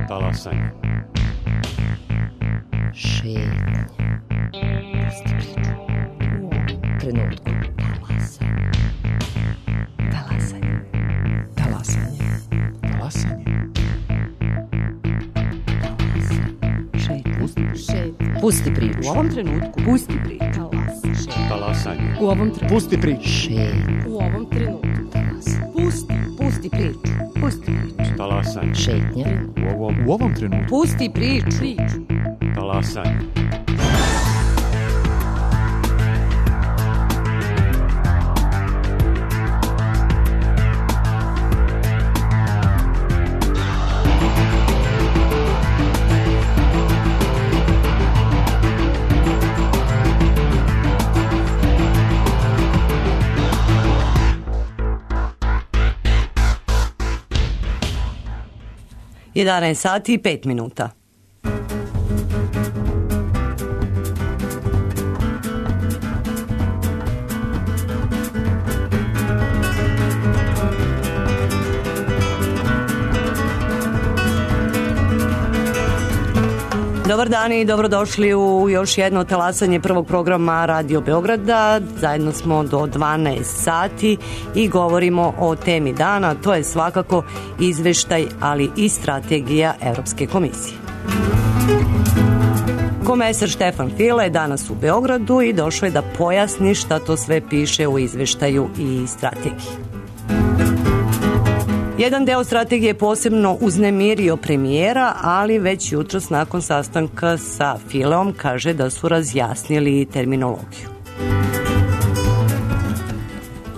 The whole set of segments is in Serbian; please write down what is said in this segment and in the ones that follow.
Talasanje. Šetnja. Pusti priču. U trenutku. Talasanje. Talasanje. Talasanje. Šetnja. Pusti priču. U ovom trenutku. Pusti priču. Talasanje. U ovom trenutku. Pusti priču. Šetnja. U ovom trenutku. Pusti priču. Pusti priču. Talasanje. Šetnja. U ovom trenutku. Pusti priču. Talasanje. Jedanaest sati i 5 minuta. Dobar dan i dobrodošli u još jedno talasanje prvog programa Radio Beograda. Zajedno smo do 12 sati i govorimo o temi dana, to je svakako izveštaj, ali i strategija Evropske komisije. Komesar Štefan File je danas u Beogradu i došao je da pojasni šta to sve piše u izveštaju i strategiji. Jedan deo strategije posebno uznemirio premijera, ali već jutros nakon sastanka sa Fileom kaže da su razjasnili terminologiju.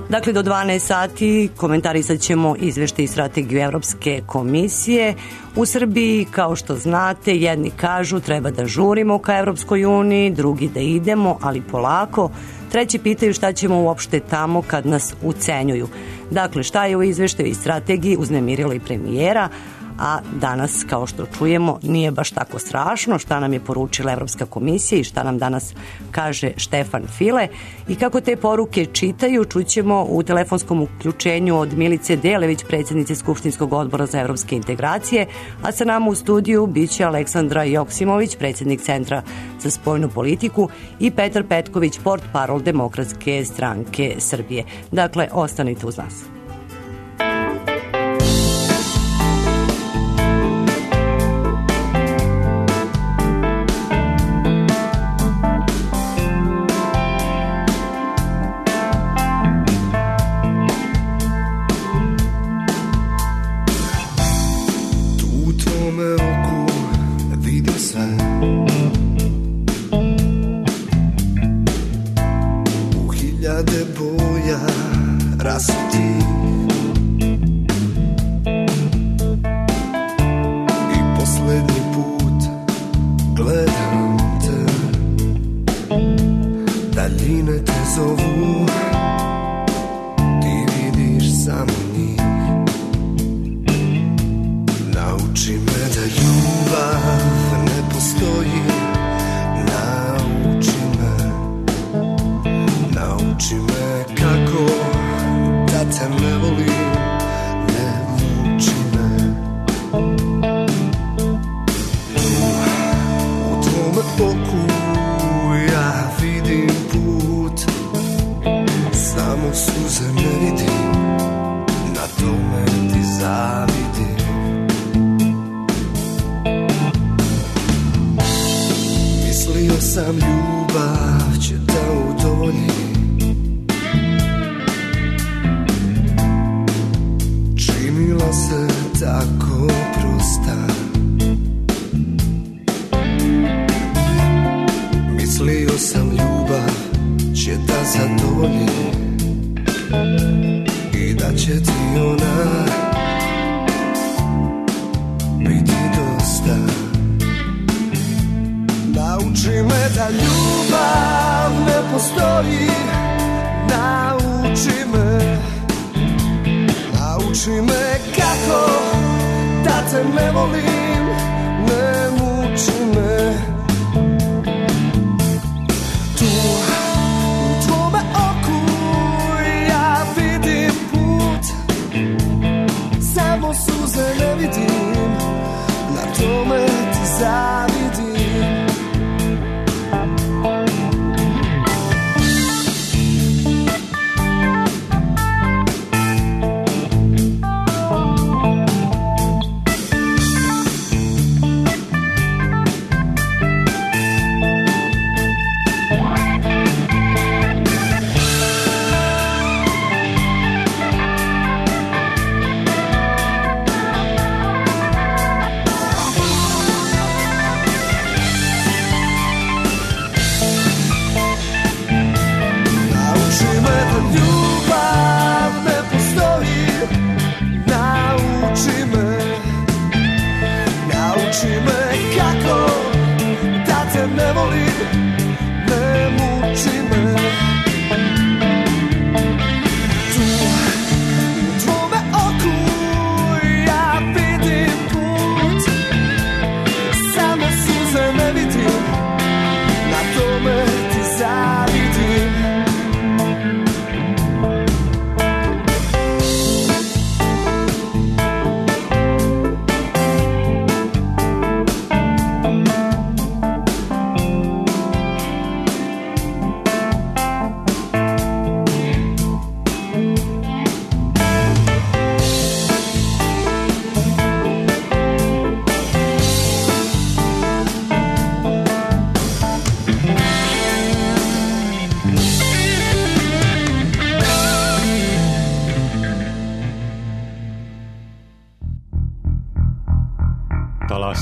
Dakle, do 12 sati komentarisat ćemo izveštaj i strategiju Evropske komisije. U Srbiji, kao što znate, jedni kažu treba da žurimo ka Evropskoj uniji, drugi da idemo, ali polako. Treći pitaju šta ćemo uopšte tamo kad nas ucenjuju. Dakle, šta je u izveštaju i strategiji uznemirilo i premijera, a danas, kao što čujemo, nije baš tako strašno šta nam je poručila Evropska komisija i šta nam danas kaže Štefan File. I kako te poruke čitaju, čućemo u telefonskom uključenju od Milice Delević, predsjednice Skupštinskog odbora za evropske integracije, a sa nama u studiju biće Aleksandra Joksimović, predsjednik Centra za spoljnu politiku, i Petar Petković, portparol Demokratske stranke Srbije. Dakle, ostanite uz nas.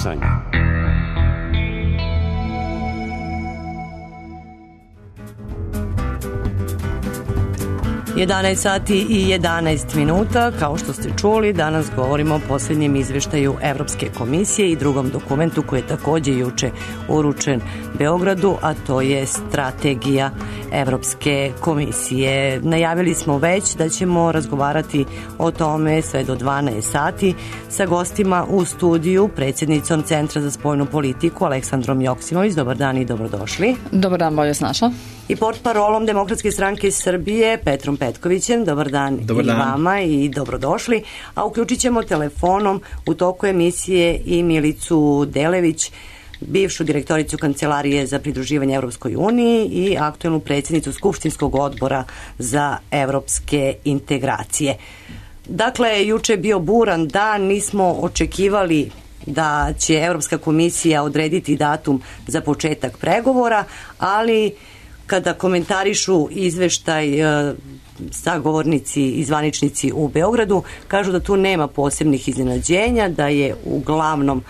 Talasanje. 11 sati i 11 minuta, kao što ste čuli, danas govorimo o posljednjem izveštaju Evropske komisije i drugom dokumentu koji je takođe juče uručen Beogradu, a to je strategija Evropske komisije. Najavili smo već da ćemo razgovarati o tome sve do 12 sati sa gostima u studiju, predsjednicom Centra za spoljnu politiku Aleksandrom Joksimović. Dobar dan i dobrodošli. Dobar dan, bolje se našla. I portparolom Demokratske stranke Srbije Petrom Petkovićem. Dobar dan i vama i dobrodošli. A uključit ćemo telefonom u toku emisije i Milicu Delević, bivšu direktoricu Kancelarije za pridruživanje Evropskoj uniji i aktuelnu predsjednicu Skupštinskog odbora za evropske integracije. Dakle, juče je bio buran dan, nismo očekivali da će Evropska komisija odrediti datum za početak pregovora, ali kada komentarišu izveštaj sagovornici i zvaničnici u Beogradu, kažu da tu nema posebnih iznenađenja, da je uglavnom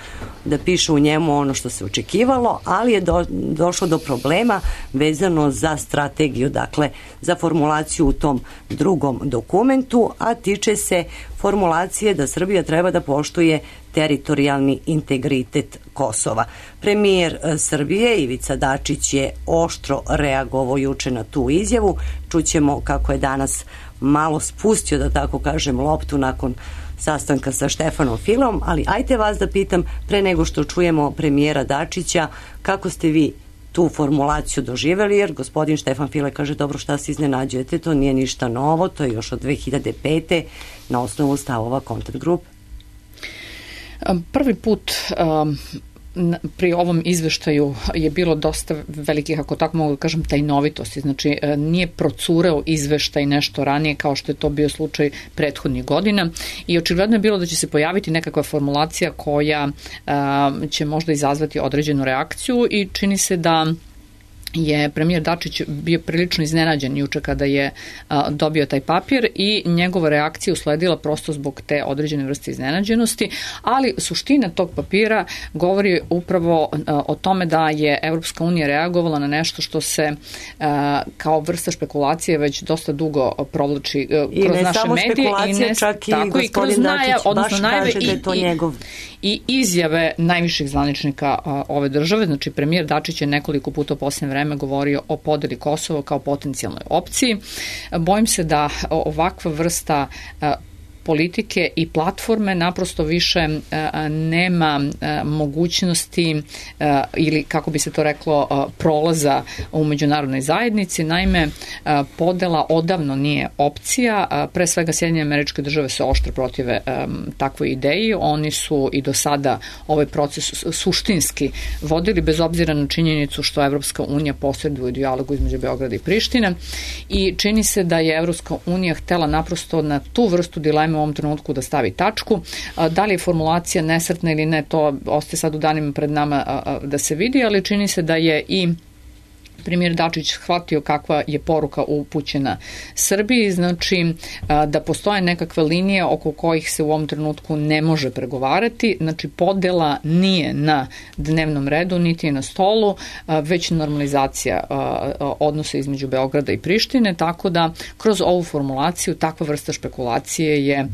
da piše u njemu ono što se očekivalo, ali je došlo do problema vezano za strategiju, dakle za formulaciju u tom drugom dokumentu, a tiče se formulacije da Srbija treba da poštuje teritorijalni integritet Kosova. Premijer Srbije Ivica Dačić je oštro reagovao juče na tu izjavu. Čućemo kako je danas malo spustio, da tako kažem, loptu nakon sastanka sa Štefanom Filom, ali ajte vas da pitam, pre nego što čujemo premijera Dačića, kako ste vi tu formulaciju doživeli, jer gospodin Štefan File kaže, dobro, šta se iznenađujete, to nije ništa novo, to je još od 2005. na osnovu stavova Contact Group. Prvi put pri ovom izveštaju je bilo dosta velikih, ako tako mogu da kažem, tajnovitosti. Znači, nije procureo izveštaj nešto ranije kao što je to bio slučaj prethodnih godina i očigledno je bilo da će se pojaviti nekakva formulacija koja će možda izazvati određenu reakciju i čini se da je premijer Dačić bio prilično iznenađen juče kada je dobio taj papir i njegova reakcija usledila prosto zbog te određene vrste iznenađenosti, ali suština tog papira govori upravo o tome da je Evropska unija reagovala na nešto što se kao vrsta špekulacije već dosta dugo provlači kroz naše medije i ne čak i gospodin Dačić baš kaže da je to njegov i izjave najviših zvaničnika ove države. Znači, premijer Dačić je nekoliko puta u posljednje vreme govorio o podeli Kosova kao potencijalnoj opciji. Bojim se da ovakva vrsta politike i platforme naprosto više nema mogućnosti ili, kako bi se to reklo, prolaza u međunarodnoj zajednici. Naime, podela odavno nije opcija. Pre svega Sjedinjene Američke Države se oštro protive takvoj ideji. Oni su i do sada ovaj proces suštinski vodili, bez obzira na činjenicu što Evropska unija posreduje u dijalogu između Beograda i Prištine, i čini se da je Evropska unija htela naprosto na tu vrstu dileme u ovom trenutku da stavi tačku. Da li je formulacija nesretna ili ne, to ostaje sad u danima pred nama da se vidi, ali čini se da je i premijer Dačić shvatio kakva je poruka upućena Srbiji, znači da postoje nekakve linije oko kojih se u ovom trenutku ne može pregovarati, znači podela nije na dnevnom redu, niti je na stolu, već normalizacija odnosa između Beograda i Prištine, tako da kroz ovu formulaciju takva vrsta špekulacije je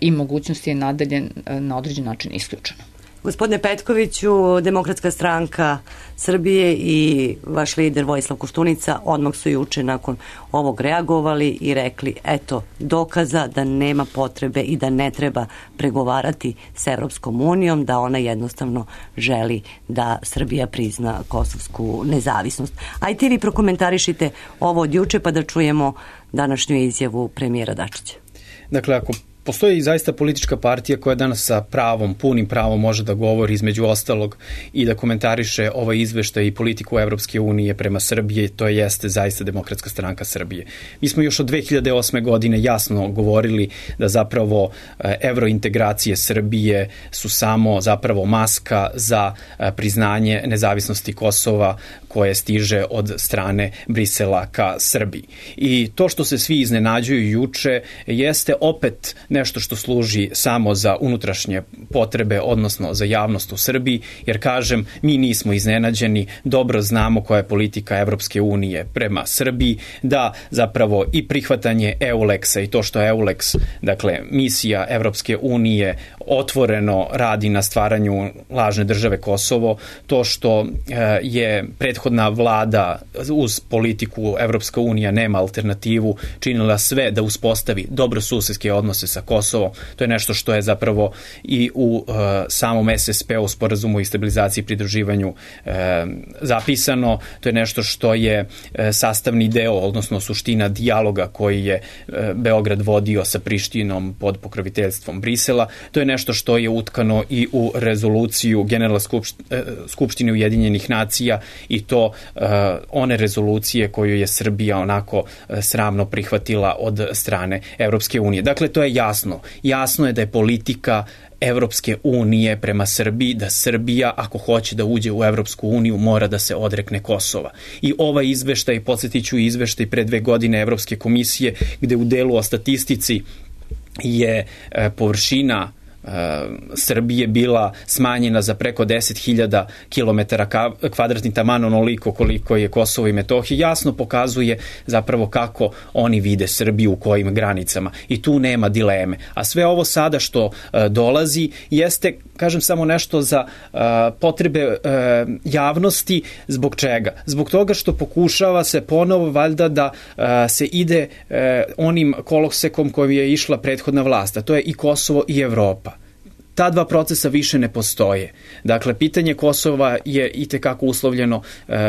i mogućnosti je nadalje na određen način isključena. Gospodine Petkoviću, Demokratska stranka Srbije i vaš lider Vojislav Koštunica odmah su juče nakon ovog reagovali i rekli, eto, dokaza da nema potrebe i da ne treba pregovarati s Evropskom unijom, da ona jednostavno želi da Srbija prizna kosovsku nezavisnost. Ajte vi prokomentarišite ovo od juče pa da čujemo današnju izjavu premijera Dačića. Dakle, ako postoji zaista politička partija koja danas sa pravom, punim pravom može da govori između ostalog i da komentariše ovaj izveštaj i politiku Evropske unije prema Srbiji, to jeste zaista Demokratska stranka Srbije. Mi smo još od 2008. godine jasno govorili da zapravo evrointegracije Srbije su samo zapravo maska za priznanje nezavisnosti Kosova koje stiže od strane Brisela ka Srbiji. I to što se svi iznenađuju juče jeste opet nešto što služi samo za unutrašnje potrebe, odnosno za javnost u Srbiji, jer kažem, mi nismo iznenađeni, dobro znamo koja je politika Evropske unije prema Srbiji, da zapravo i prihvatanje EULEX-a i to što je EULEX, dakle misija Evropske unije, otvoreno radi na stvaranju lažne države Kosovo, to što je prethodna vlada uz politiku Evropska unija nema alternativu, činila sve da uspostavi dobrosusedske odnose sa Kosovom, to je nešto što je zapravo i u samom SSP-u, sporazumu i stabilizaciji i pridruživanju zapisano, to je nešto što je sastavni deo, odnosno suština dijaloga koji je Beograd vodio sa Prištinom pod pokroviteljstvom Brisela, to je nešto što je utkano i u rezoluciju Generalne skupštine Ujedinjenih nacija i to one rezolucije koju je Srbija onako sramno prihvatila od strane Evropske unije. Dakle, to je jasno. Jasno je da je politika Evropske unije prema Srbiji, da Srbija, ako hoće da uđe u Evropsku uniju, mora da se odrekne Kosova. I ovaj izveštaj, podsjetiću izveštaj pre 2 godine Evropske komisije, gde u delu o statistici je površina Srbije bila smanjena za preko 10.000 km2, taman onoliko koliko je Kosovo i Metohija, jasno pokazuje zapravo kako oni vide Srbiju, u kojim granicama. I tu nema dileme. A sve ovo sada što dolazi jeste, kažem, samo nešto za potrebe javnosti. Zbog čega? Zbog toga što pokušava se ponovo valjda da se ide onim kolosekom kojim je išla prethodna vlast, a to je i Kosovo i Evropa. Ta dva procesa više ne postoje. Dakle, pitanje Kosova je itekako uslovljeno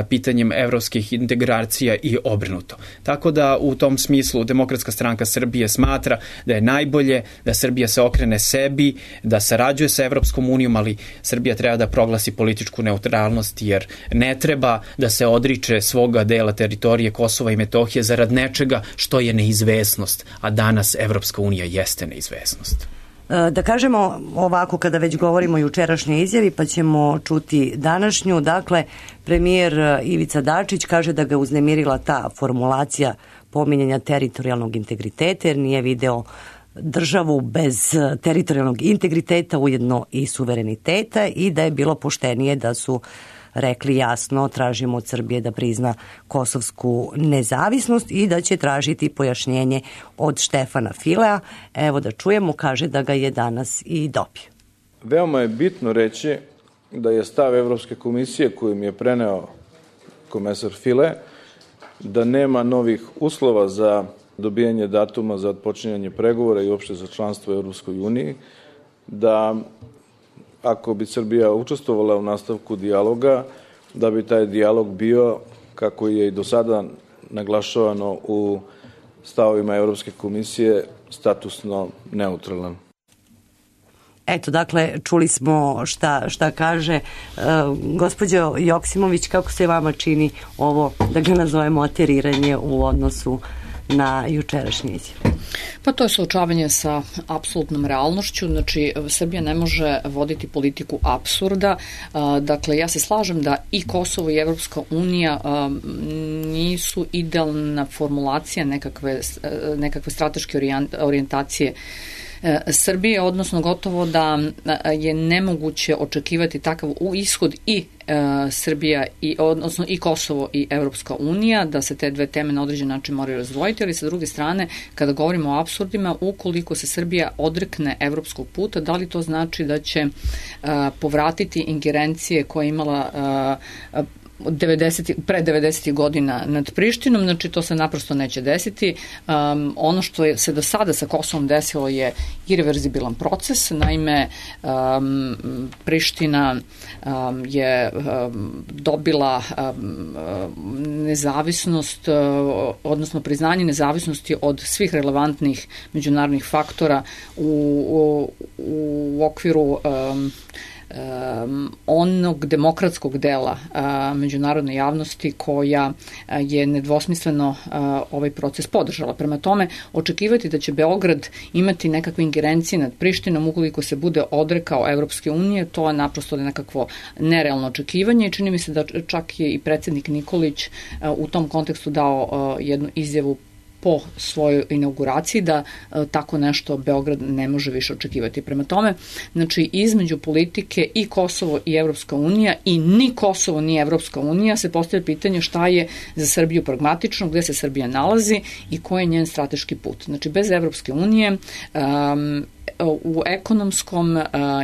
pitanjem evropskih integracija i obrnuto. Tako da u tom smislu Demokratska stranka Srbije smatra da je najbolje da Srbija se okrene sebi, da sarađuje sa Evropskom unijom, ali Srbija treba da proglasi političku neutralnost, jer ne treba da se odriče svoga dela teritorije Kosova i Metohije zarad nečega što je neizvesnost, a danas Evropska unija jeste neizvesnost. Da kažemo ovako, kada već govorimo o jučerašnjoj izjavi, pa ćemo čuti današnju. Dakle, premijer Ivica Dačić kaže da ga uznemirila ta formulacija pominjanja teritorijalnog integriteta, jer nije video državu bez teritorijalnog integriteta, ujedno i suvereniteta, i da je bilo poštenije da su rekli jasno, tražimo od Srbije da prizna kosovsku nezavisnost i da će tražiti pojašnjenje od Štefana Filea. Evo da čujemo, kaže da ga je danas i dobio. Veoma je bitno reći da je stav Evropske komisije koju mi je preneo komesar File, da nema novih uslova za dobijanje datuma za odpočinjanje pregovora i uopšte za članstvo u Evropskoj uniji, da ako bi Srbija učestvovala u nastavku dijaloga, da bi taj dijalog bio, kako je i do sada naglašavano u stavovima Evropske komisije, statusno neutralan. Eto, dakle, čuli smo šta kaže. Gospođo Joksimović, kako se vama čini ovo, da ga nazovemo, ateriranje u odnosu na jučerašnji izjav? Pa to je suočavanje sa apsolutnom realnošću, znači Srbija ne može voditi politiku apsurda. Dakle, ja se slažem da i Kosovo i Evropska unija nisu idealna formulacija nekakve strateške orijentacije Srbije, odnosno gotovo da je nemoguće očekivati takav ishod i Srbija, odnosno i Kosovo i Evropska unija, da se te dve teme na određen način moraju razdvojiti, ali sa druge strane, kada govorimo o apsurdima, ukoliko se Srbija odrekne evropskog puta, da li to znači da će povratiti ingerencije koje je imala pre 90. godina nad Prištinom, znači to se naprosto neće desiti. Ono što se do sada sa Kosovom desilo je irreverzibilan proces, naime Priština je dobila nezavisnost, odnosno priznanje nezavisnosti od svih relevantnih međunarodnih faktora u okviru onog demokratskog dela međunarodne javnosti koja je nedvosmisleno ovaj proces podržala. Prema tome, očekivati da će Beograd imati nekakve ingerencije nad Prištinom ukoliko se bude odrekao Evropske unije, to je naprosto nekakvo nerealno očekivanje i čini mi se da čak je i predsjednik Nikolić u tom kontekstu dao jednu izjavu po svojoj inauguraciji da tako nešto Beograd ne može više očekivati. Prema tome, znači između politike i Kosovo i Evropska unija i ni Kosovo ni Evropska unija se postavlja pitanje šta je za Srbiju pragmatično, gde se Srbija nalazi i koji je njen strateški put. Znači bez Evropske unije u ekonomskom,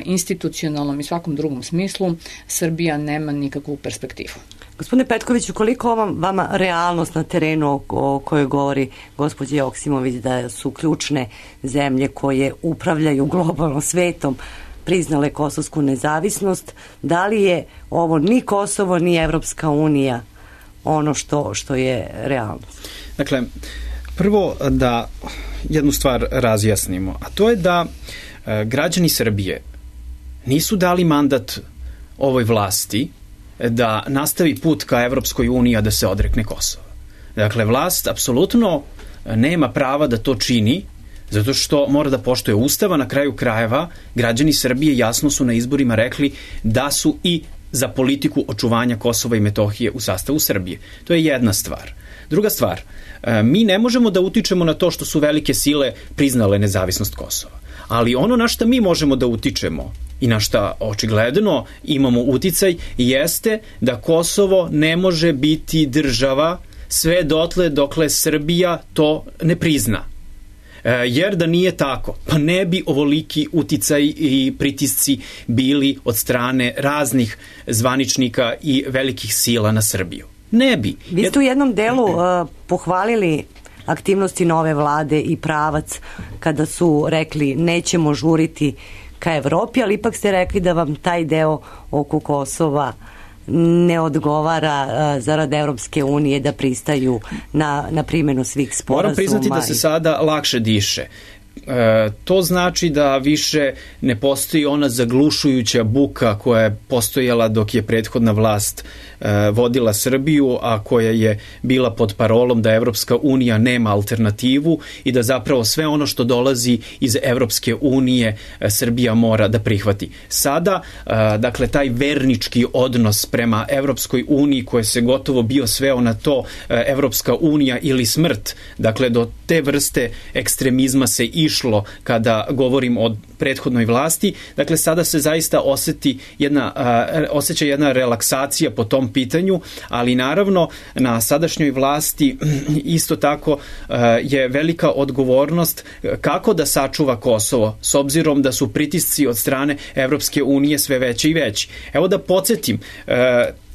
institucionalnom i svakom drugom smislu Srbija nema nikakvu perspektivu. Gospodine Petkoviću, koliko vama realnost na terenu o kojoj govori gospođa Joksimović da su ključne zemlje koje upravljaju globalnom svetom priznale kosovsku nezavisnost, da li je ovo ni Kosovo ni Evropska unija ono što je realnost? Dakle, prvo da jednu stvar razjasnimo, a to je da građani Srbije nisu dali mandat ovoj vlasti da nastavi put ka Evropskoj uniji, a da se odrekne Kosova. Dakle, vlast apsolutno nema prava da to čini, zato što mora da poštuje Ustava. Na kraju krajeva, građani Srbije jasno su na izborima rekli da su i za politiku očuvanja Kosova i Metohije u sastavu Srbije. To je jedna stvar. Druga stvar, mi ne možemo da utičemo na to što su velike sile priznale nezavisnost Kosova. Ali ono na šta mi možemo da utičemo i na šta očigledno imamo uticaj jeste da Kosovo ne može biti država sve dotle dokle Srbija to ne prizna. Jer da nije tako, pa ne bi ovoliki uticaj i pritisci bili od strane raznih zvaničnika i velikih sila na Srbiju. Ne bi. Vi ste u jednom delu pohvalili aktivnosti nove vlade i pravac kada su rekli nećemo žuriti ka Evropi, ali ipak ste rekli da vam taj deo oko Kosova ne odgovara zarad Evropske unije da pristaju na primjenu svih sporazuma. Moram priznati da se sada lakše diše. To znači da više ne postoji ona zaglušujuća buka koja je postojala dok je prethodna vlast vodila Srbiju, a koja je bila pod parolom da Evropska unija nema alternativu i da zapravo sve ono što dolazi iz Evropske unije Srbija mora da prihvati. Sada, dakle, taj vernički odnos prema Evropskoj uniji koje se gotovo bio sveo na to Evropska unija ili smrt, dakle, do te vrste ekstremizma se išlo kada govorim o prethodnoj vlasti. Dakle, sada se zaista osjeća jedna relaksacija po tom pitanju, ali naravno na sadašnjoj vlasti isto tako je velika odgovornost kako da sačuva Kosovo, s obzirom da su pritisci od strane Evropske unije sve veći i veći. Evo da podsjetim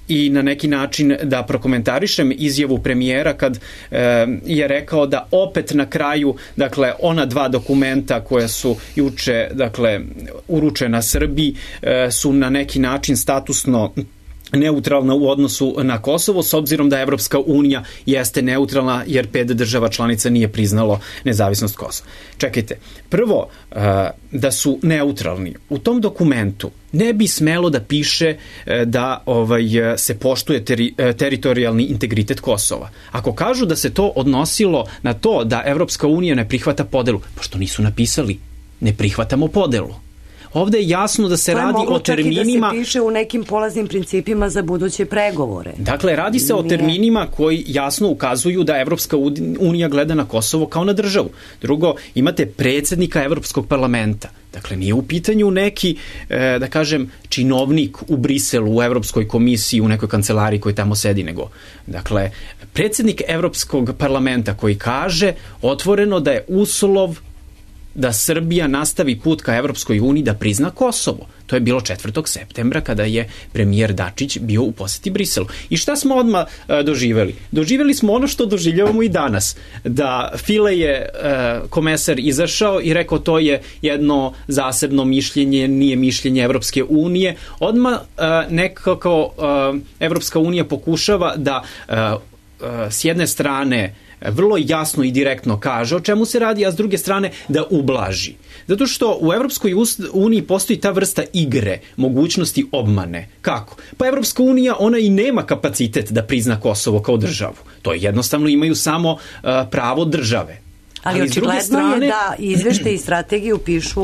i na neki način da prokomentarišem izjavu premijera kad je rekao da opet na kraju, dakle, ona dva dokumenta koja su juče, dakle, uručena Srbiji su na neki način statusno neutralna u odnosu na Kosovo, s obzirom da Evropska unija jeste neutralna jer 5 država članica nije priznalo nezavisnost Kosova. Čekajte, prvo da su neutralni. U tom dokumentu ne bi smelo da piše da se poštuje teritorijalni integritet Kosova. Ako kažu da se to odnosilo na to da Evropska unija ne prihvata podelu, pa što nisu napisali ne prihvatamo podelu? Ovde je jasno da se radi o terminima... To je moglo čak i da se piše u nekim polaznim principima za buduće pregovore. Dakle, radi se o terminima koji jasno ukazuju da Evropska unija gleda na Kosovo kao na državu. Drugo, imate predsjednika Evropskog parlamenta. Dakle, nije u pitanju neki, da kažem, činovnik u Briselu, u Evropskoj komisiji, u nekoj kancelariji koji tamo sedi, nego, dakle, predsjednik Evropskog parlamenta koji kaže otvoreno da je uslov da Srbija nastavi put ka Evropskoj uniji da prizna Kosovo. To je bilo 4. septembra kada je premijer Dačić bio u poseti Briselu. I šta smo odmah doživeli? Doživeli smo ono što doživljavamo i danas. Da File je komesar izašao i rekao to je jedno zasebno mišljenje, nije mišljenje Evropske unije. Odmah nekako Evropska unija pokušava da s jedne strane vrlo jasno i direktno kaže o čemu se radi, a s druge strane da ublaži. Zato što u Evropskoj uniji postoji ta vrsta igre, mogućnosti obmane. Kako? Pa Evropska unija, ona i nema kapacitet da prizna Kosovo kao državu. To je jednostavno imaju samo pravo države. Ali očigledno je da izveštaj i strategiju pišu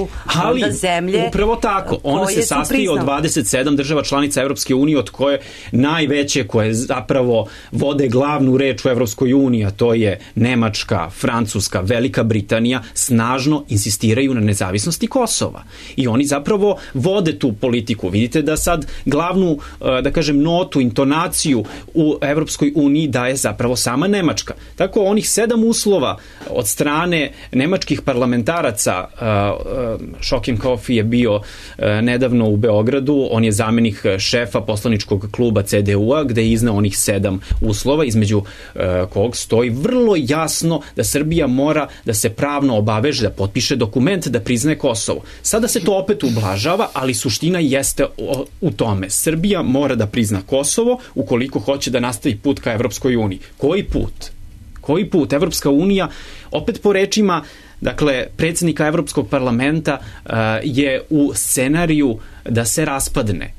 onda zemlje upravo tako. Ona se sastoji od 27 država članica Evropske unije, od koje najveće koje zapravo vode glavnu reč u Evropskoj uniji, a to je Nemačka, Francuska, Velika Britanija, snažno insistiraju na nezavisnosti Kosova. I oni zapravo vode tu politiku. Vidite da sad glavnu, da kažem, notu, intonaciju u Evropskoj uniji daje zapravo sama Nemačka. Tako onih 7 uslova od strane nemačkih parlamentaraca, Šokim Kofi je bio nedavno u Beogradu, on je zamenik šefa poslaničkog kluba CDU-a, gde je izneo onih 7 uslova, između kog stoji vrlo jasno da Srbija mora da se pravno obaveže, da potpiše dokument da priznaje Kosovo. Sada se to opet ublažava, ali suština jeste u tome. Srbija mora da prizna Kosovo ukoliko hoće da nastavi put ka Evropskoj uniji. Koji put? Koji put? Evropska unija, opet po rečima, dakle, predsjednika Evropskog parlamenta je u scenariju da se raspadne.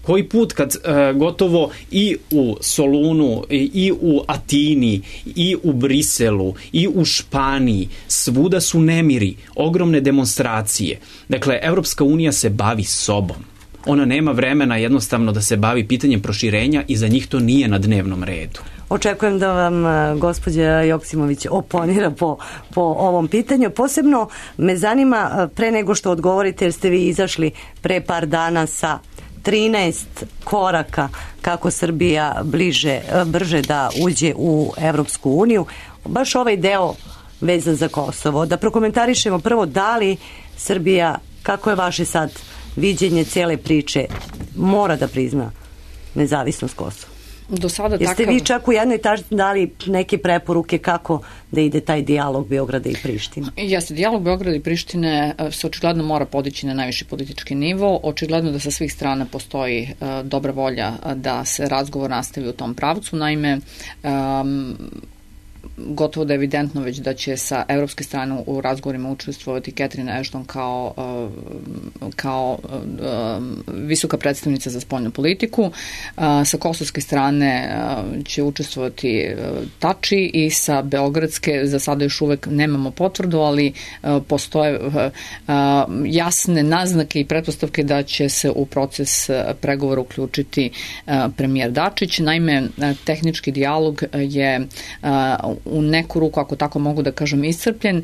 Koji put kad gotovo i u Solunu, i u Atini, i u Briselu, i u Španiji, svuda su nemiri, ogromne demonstracije. Dakle, Evropska unija se bavi sobom. Ona nema vremena jednostavno da se bavi pitanjem proširenja i za njih to nije na dnevnom redu. Očekujem da vam gospođa Joksimović oponira po ovom pitanju. Posebno me zanima, pre nego što odgovorite, jer ste vi izašli pre par dana sa 13 koraka kako Srbija brže da uđe u Evropsku uniju, baš ovaj deo vezan za Kosovo. Da prokomentarišemo prvo, da li Srbija, kako je vaše sad viđenje cele priče, mora da prizna nezavisnost Kosova? Do sada jeste vi čak u jednoj tački dali neke preporuke kako da ide taj dijalog Beograda i Prištine? Jeste, dijalog Beograda i Prištine se očigledno mora podići na najviši politički nivo. Očigledno da sa svih strana postoji dobra volja da se razgovor nastavi u tom pravcu. Naime, gotovo da je evidentno već da će sa evropske strane u razgovorima učestvovati Catherine Ashton kao visoka predstavnica za spoljnu politiku. Sa kosovske strane će učestvovati Tači i sa beogradske za sada još uvek nemamo potvrdu, ali postoje jasne naznake i pretpostavke da će se u proces pregovora uključiti premijer Dačić. Naime, tehnički dijalog je u neku ruku, ako tako mogu da kažem, iscrpljen,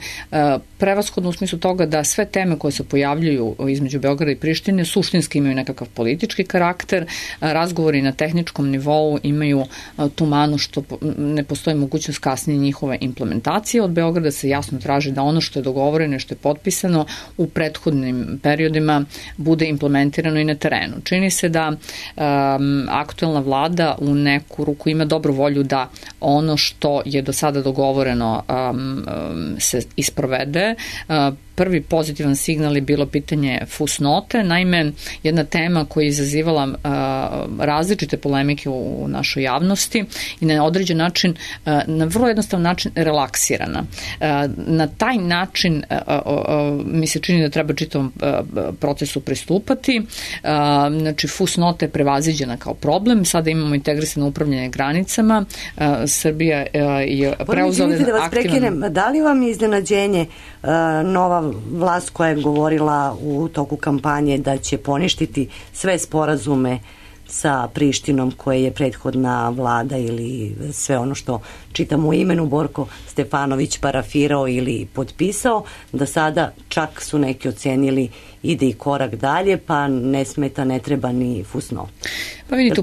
prevashodno u smislu toga da sve teme koje se pojavljuju između Beograda i Prištine suštinski imaju nekakav politički karakter, razgovori na tehničkom nivou imaju tu manu što ne postoji mogućnost kasnije njihove implementacije. Od Beograda se jasno traži da ono što je dogovoreno i što je potpisano u prethodnim periodima bude implementirano i na terenu. Čini se da aktuelna vlada u neku ruku ima dobru volju da ono što je do sada dogovoreno se isprovede. Prvi pozitivan signal je bilo pitanje fusnote. Naime, jedna tema koja je izazivala različite polemike u našoj javnosti i na određen način, na vrlo jednostavan način relaksirana. Na taj način mi se čini da treba čitavom procesu pristupati. Znači, fusnota je prevaziđena kao problem. Sada imamo integrisano upravljanje granicama. Srbija je preuzela aktivan... Da li vam je iznenađenje nova vlast koja je govorila u toku kampanje da će poništiti sve sporazume sa Prištinom koje je prethodna vlada ili sve ono što čitamo u imenu Borko Stefanović parafirao ili potpisao, da sada čak su neki ocenili ide i korak dalje, pa ne smeta, ne treba ni fusnot. Pa vidite,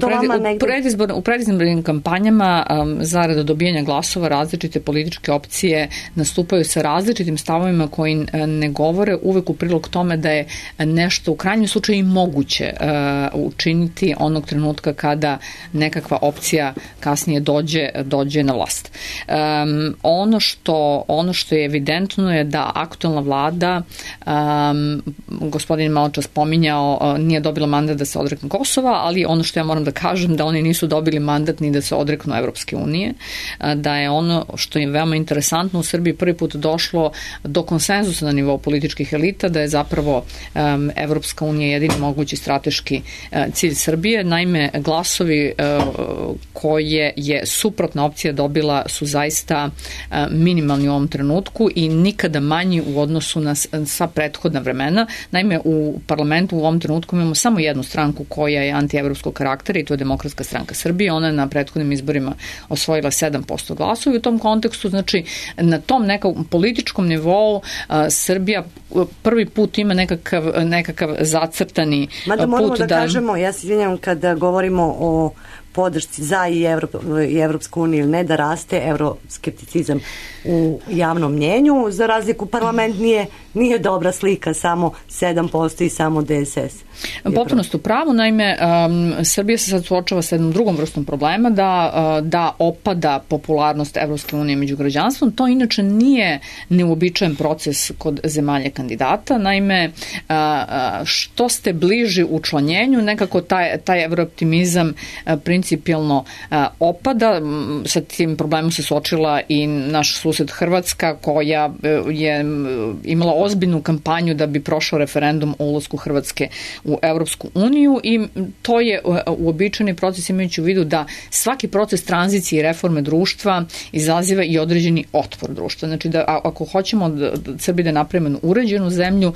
u predizbornim kampanjama zarad dobijanja glasova različite političke opcije nastupaju sa različitim stavovima koji ne govore uvek u prilog tome da je nešto u krajnjem slučaju i moguće učiniti onog trenutka kada nekakva opcija kasnije dođe na vlast. Ono što je evidentno je da aktuelna vlada, gospodin maločas spominjao, nije dobila mandat da se odrekne Kosova, ali ono što ja moram da kažem da oni nisu dobili mandat ni da se odreknu Evropske unije, da je ono što je veoma interesantno u Srbiji prvi put došlo do konsenzusa na nivou političkih elita, da je zapravo Evropska unija jedini mogući strateški cilj Srbije. Naime, glasovi koje je suprotna opcija dobila su zaista minimalni u ovom trenutku i nikada manji u odnosu na sva prethodna vremena. Naime, u parlamentu u ovom trenutku imamo samo jednu stranku koja je antievropskog karaktera i to je Demokratska stranka Srbije. Ona je na prethodnim izborima osvojila 7% glasova i u tom kontekstu, znači na tom nekom političkom nivou Srbija prvi put ima nekakav zacrtani put. Mada moramo da kažemo, ja se izvinjam kada govorimo o podršci za i Evropsku uniju, ne da raste euroskepticizam u javnom mnjenju, za razliku parlament nije dobra slika, samo 7% i samo DSS. Potpuno ste u pravu, naime Srbija se sad suočava sa jednom drugom vrstom problema da opada popularnost Evropske unije među građanstvom. To inače nije neuobičajen proces kod zemalja kandidata, naime što ste bliži učlanjenju, nekako taj evrooptimizam principijalno opada. Sa tim problemom se suočila i naš sused Hrvatska, koja je imala ozbiljnu kampanju da bi prošao referendum o ulasku Hrvatske u Evropsku uniju i to je uobičajeni proces, imajući u vidu da svaki proces tranzicije i reforme društva izaziva i određeni otpor društva. Znači da ako hoćemo da Srbiji da napravimo uređenu zemlju,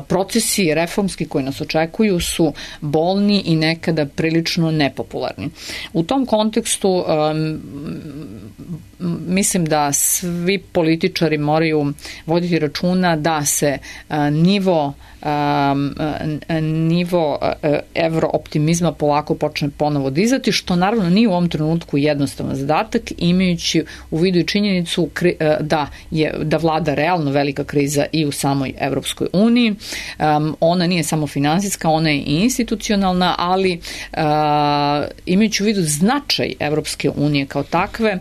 procesi reformski koji nas očekuju su bolni i nekada prilično nepopularni. U tom kontekstu mislim da svi političari moraju voditi računa da se nivo evrooptimizma polako počne ponovo dizati, što naravno nije u ovom trenutku jednostavan zadatak, imajući u vidu i činjenicu da vlada realno velika kriza i u samoj Evropskoj uniji. Ona nije samo finansijska, ona je i institucionalna, ali imajući u vidu značaj Evropske unije kao takve,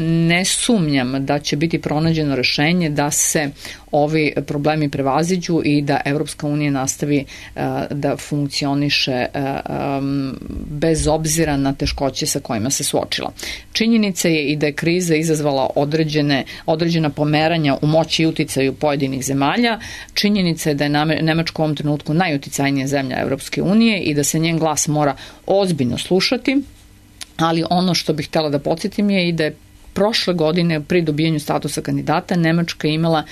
ne sumnjam da će biti pronađeno rešenje da se ovi problemi prevaziđu i da Evropska unija nastavi da funkcioniše bez obzira na teškoće sa kojima se suočila. Činjenica je i da je kriza izazvala određena pomeranja u moći i uticaju pojedinih zemalja. Činjenica je da je Nemačka u ovom trenutku najuticajnija zemlja Evropske unije i da se njen glas mora ozbiljno slušati, ali ono što bih htjela da podsjetim je i da je prošle godine pri dobijanju statusa kandidata Nemačka imala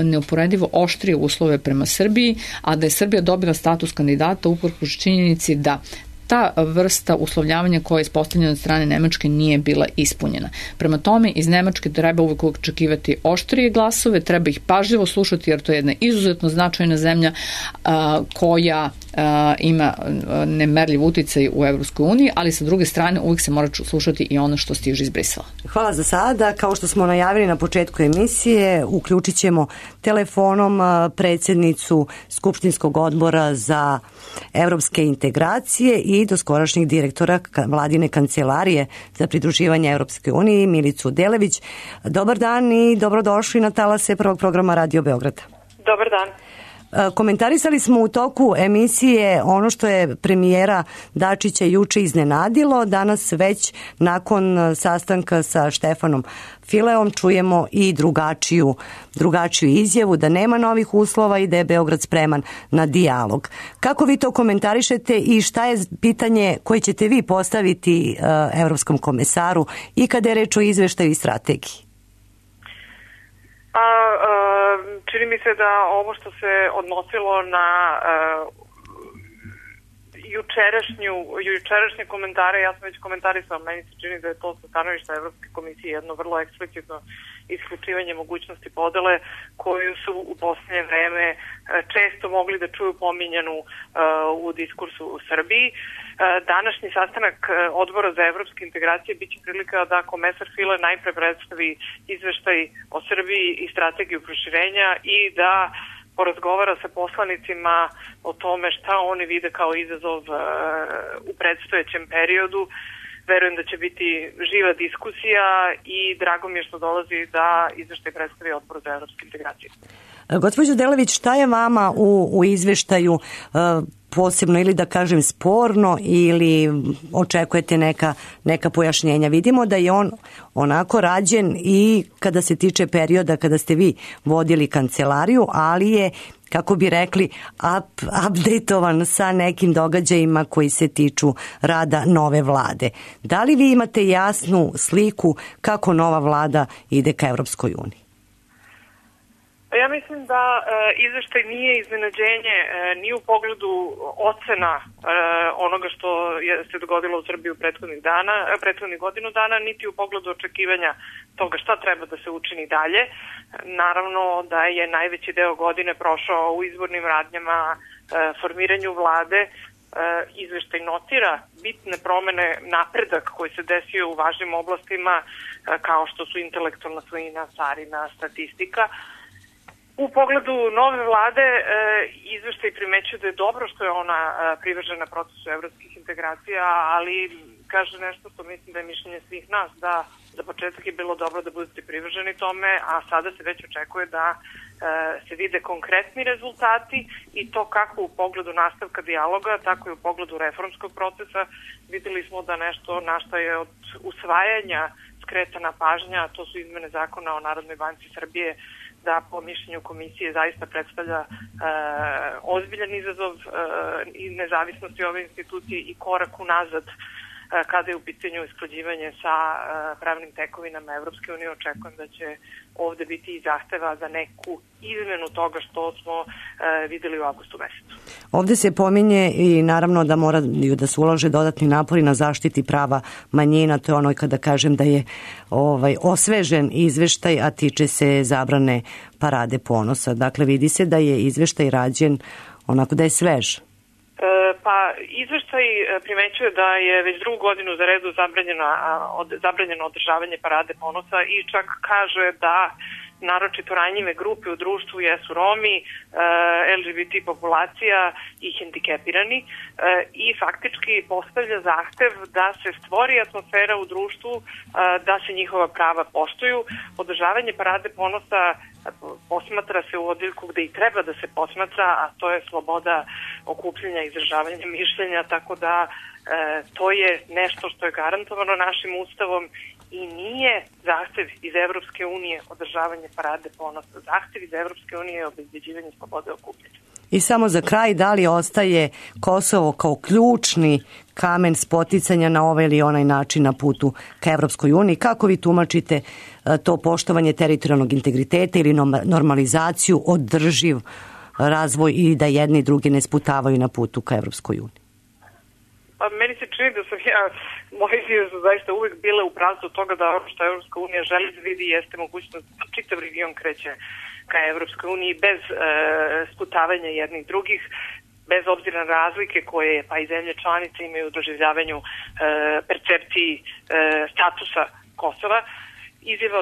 neuporedivo oštrije uslove prema Srbiji, a da je Srbija dobila status kandidata uprkos činjenici da ta vrsta uslovljavanja koja je ispostavljena od strane Nemačke nije bila ispunjena. Prema tome, iz Nemačke treba uvijek očekivati oštrije glasove, treba ih pažljivo slušati jer to je jedna izuzetno značajna zemlja koja ima nemerljiv uticaj u Evropskoj uniji, ali sa druge strane uvijek se mora slušati i ono što stiže iz Brisela. Hvala za sada. Kao što smo najavili na početku emisije, uključit ćemo telefonom predsjednicu Skupštinskog odbora za evropske integracije i doskorašnjeg direktora vladine kancelarije za pridruživanje Evropske unije, Milicu Delević. Dobar dan i dobrodošli na talase prvog programa Radio Beograda. Dobar dan. Komentarisali smo u toku emisije ono što je premijera Dačića juče iznenadilo. Danas već nakon sastanka sa Štefanom Fileom čujemo i drugačiju izjavu da nema novih uslova i da je Beograd spreman na dijalog. Kako vi to komentarišete i šta je pitanje koje ćete vi postaviti evropskom komesaru i kada je reč o izveštaju i strategiji? Čini mi se da ovo što se odnosilo na jučerašnje komentare, ja sam već komentarisala, meni se čini da je to sa stanovišta Evropske komisije jedno vrlo eksplicitno isključivanje mogućnosti podele koju su u posljednje vreme često mogli da čuju pominjanu u diskursu u Srbiji. Današnji sastanak odbora za evropske integracije biće prilika da komesar File najpre predstavi izveštaj o Srbiji i strategiju proširenja i da porazgovara sa poslanicima o tome šta oni vide kao izazov u predstojećem periodu. Verujem da će biti živa diskusija i drago mi je što dolazi da izveštaj predstavi odbor za evropske integracije. Gospođo Delević, šta je vama u izveštaju posebno ili da kažem sporno ili očekujete neka pojašnjenja? Vidimo da je on onako rađen i kada se tiče perioda kada ste vi vodili kancelariju, ali je, kako bi rekli, updateovan sa nekim događajima koji se tiču rada nove vlade. Da li vi imate jasnu sliku kako nova vlada ide ka Evropskoj uniji? Ja mislim da izveštaj nije iznenađenje ni u pogledu ocena onoga što se dogodilo u Srbiji u prethodnih godinu dana, niti u pogledu očekivanja toga šta treba da se učini dalje. Naravno da je najveći deo godine prošao u izbornim radnjama, formiranju vlade. Izveštaj notira bitne promene, napredak koji se desio u važnim oblastima kao što su intelektualna svojina, carina, statistika. U pogledu nove vlade izveštaj primećuje da je dobro što je ona privržena procesu evropskih integracija, ali kaže nešto što mislim da je mišljenje svih nas, da za početak je bilo dobro da budete privrženi tome, a sada se već očekuje da se vide konkretni rezultati i to kako u pogledu nastavka dijaloga, tako i u pogledu reformskog procesa. Videli smo da nešto na što je od usvajanja skretana pažnja, to su izmene zakona o Narodnoj banci Srbije, da po mišljenju komisije zaista predstavlja ozbiljan izazov i nezavisnosti ove institucije i korak unazad kada je u pitanju usklađivanje sa pravnim tekovinama Evropske unije. Očekujem da će ovde biti i zahteva za neku izmenu toga što smo videli u avgustu mesecu. Ovde se pominje i naravno da moraju da se ulože dodatni napori na zaštiti prava manjina. To je ono kada kažem da je osvežen izveštaj, a tiče se zabrane Parade ponosa. Dakle, vidi se da je izveštaj rađen onako da je svež. Pa izveštaj primećuje da je već drugu godinu za redu zabranjeno održavanje Parade ponosa i čak kaže da naročito ranjive grupe u društvu jesu Romi, LGBT populacija i hendikepirani i faktički postavlja zahtev da se stvori atmosfera u društvu, da se njihova prava poštuju. Održavanje Parade ponosa posmatra se u odeljku gde i treba da se posmatra, a to je sloboda okupljanja i izražavanja mišljenja, tako da to je nešto što je garantovano našim ustavom i nije zahtev iz Evropske unije održavanje Parade ponosa. Zahtev iz Evropske unije je obezbeđivanje slobode okupljanja. I samo za kraj, da li ostaje Kosovo kao ključni kamen spoticanja na ovaj ili onaj način na putu ka Evropskoj uniji? Kako vi tumačite to poštovanje teritorijalnog integriteta ili normalizaciju, održiv razvoj i da jedni i drugi ne sputavaju na putu ka Evropskoj uniji? Pa meni se čini da sam moje izjave su zaista uvek bile u pravcu toga da ono što Evropska unija želi da vidi jeste mogućnost da čitav region kreće ka Evropskoj uniji bez sputavanja jednih drugih, bez obzira na razlike koje pa i zemlje članice imaju u doživljavanju percepciji statusa Kosova. Izjava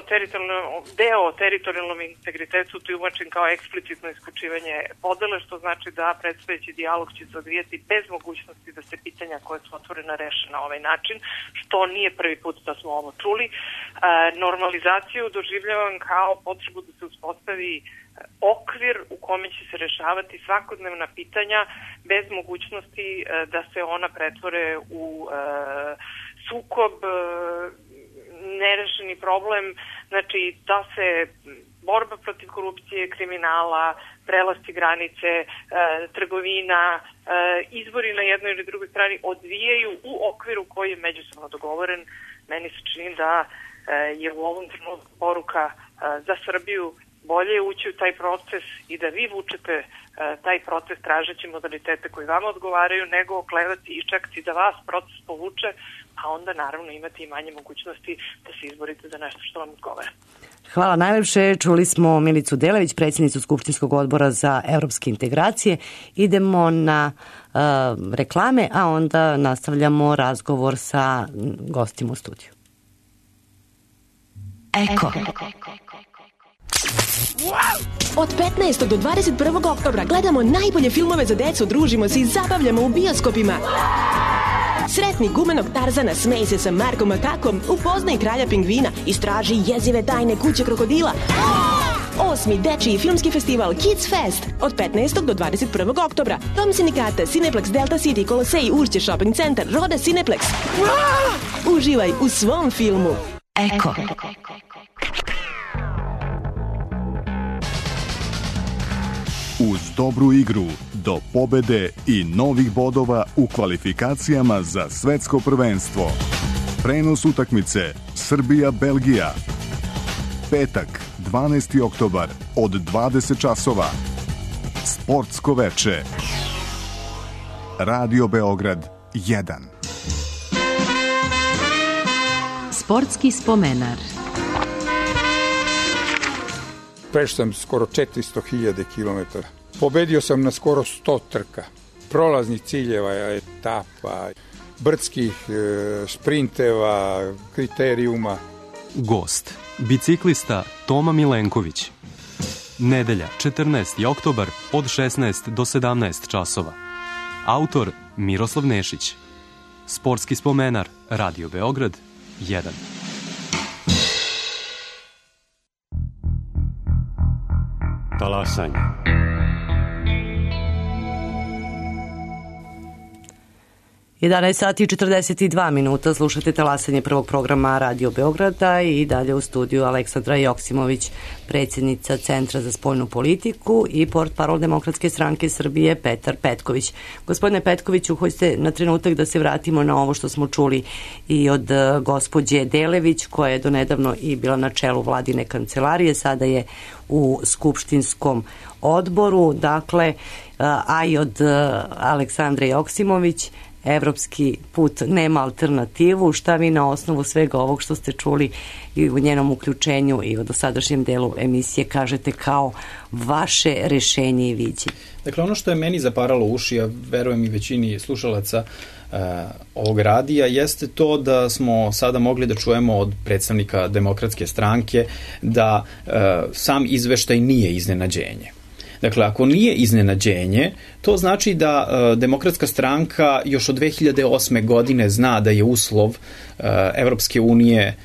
o teritorijalnom integritetu tumačen kao eksplicitno isključivanje podele, što znači da predstojeći dijalog će se odvijati bez mogućnosti da se pitanja koje su otvorena reše na ovaj način, što nije prvi put da smo ovo čuli. Normalizaciju doživljavam kao potrebu da se uspostavi okvir u kome će se rešavati svakodnevna pitanja bez mogućnosti da se ona pretvore u sukob, nerešeni problem, znači da se borba protiv korupcije, kriminala, prelasci granice, trgovina, izbori na jednoj ili drugoj strani odvijaju u okviru koji je međusobno dogovoren. Meni se čini da je u ovom trenutku poruka za Srbiju bolje je ući u taj proces i da vi vučete taj proces tražeći modalitete koji vama odgovaraju, nego oklevati i čekati da vas proces povuče, a onda naravno imate i manje mogućnosti da se izborite za nešto što vam odgovara. Hvala najlepše. Čuli smo Milicu Delević, predsjednicu Skupštinskog odbora za evropske integracije. Idemo na reklame, a onda nastavljamo razgovor sa gostima u studiju. Eko. Od 15. do 21. oktobra gledamo najbolje filmove za decu, družimo se i zabavljamo u bioskopima. Sretni gumenog Tarzana, smej se sa Markom Makakom, upoznaj kralja pingvina, istraži jezive tajne kuće krokodila. 8. dečiji filmski festival Kids Fest od 15. do 21. oktobra. Dom sindikata, Cineplex, Delta City, Kolosej, Ušće, Shopping Center, Roda Cineplex. Uživaj u svom filmu. Eko. Uz dobru igru do pobede i novih bodova u kvalifikacijama za svetsko prvenstvo. Prenos utakmice Srbija-Belgija. Petak, 12. oktobar od 20 časova. Sportsko veče. Radio Beograd 1. Sportski spomenar. Prešao sam skoro 400.000 km. Pobedio sam na skoro 100 trka. Prolaznih ciljeva, etapa, brdskih sprinteva, kriterijuma. Gost, biciklista Toma Milenković. Nedelja, 14. oktobar od 16 do 17 časova. Autor Miroslav Nešić. Sportski spomenar, Radio Beograd 1. Talasanje. Sati i 42 minuta, slušate Talasanje prvog programa Radio Beograda i dalje u studiju Aleksandra Joksimović, predsjednica Centra za spoljnu politiku i portparol Demokratske stranke Srbije Petar Petković. Gospodine Petkoviću, hoćete na trenutak da se vratimo na ovo što smo čuli i od gospođe Delević, koja je donedavno i bila na čelu vladine kancelarije, sada je u skupštinskom odboru, dakle, a i od Aleksandre Joksimović. Evropski put nema alternativu. Šta vi na osnovu svega ovog što ste čuli i u njenom uključenju i u dosadašnjem delu emisije kažete kao vaše rešenje i viđenje? Dakle, ono što je meni zaparalo uši, a verujem i većini slušalaca ovog radija, jeste to da smo sada mogli da čujemo od predstavnika Demokratske stranke da sam izveštaj nije iznenađenje. Dakle, ako nije iznenađenje, to znači da Demokratska stranka još od 2008. godine zna da je uslov Evropske unije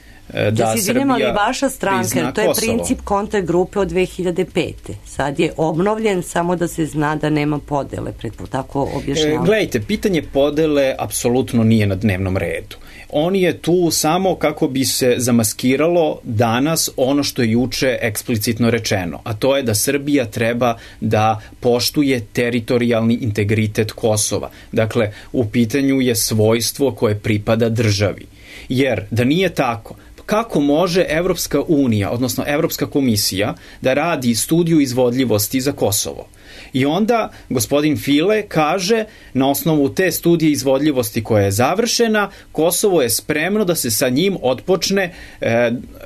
da Srbija ali vaša stranka, to je princip kontakt grupe od 2005. Sad je obnovljen, samo da se zna da nema podele, tako objašnjavam. Gledajte, pitanje podele apsolutno nije na dnevnom redu. On je tu samo kako bi se zamaskiralo danas ono što je juče eksplicitno rečeno, a to je da Srbija treba da poštuje teritorijalni integritet Kosova. Dakle, u pitanju je svojstvo koje pripada državi. Jer da nije tako, kako može Evropska unija, odnosno Evropska komisija, da radi studiju izvodljivosti za Kosovo? I onda gospodin File kaže, na osnovu te studije izvodljivosti koja je završena, Kosovo je spremno da se sa njim otpočne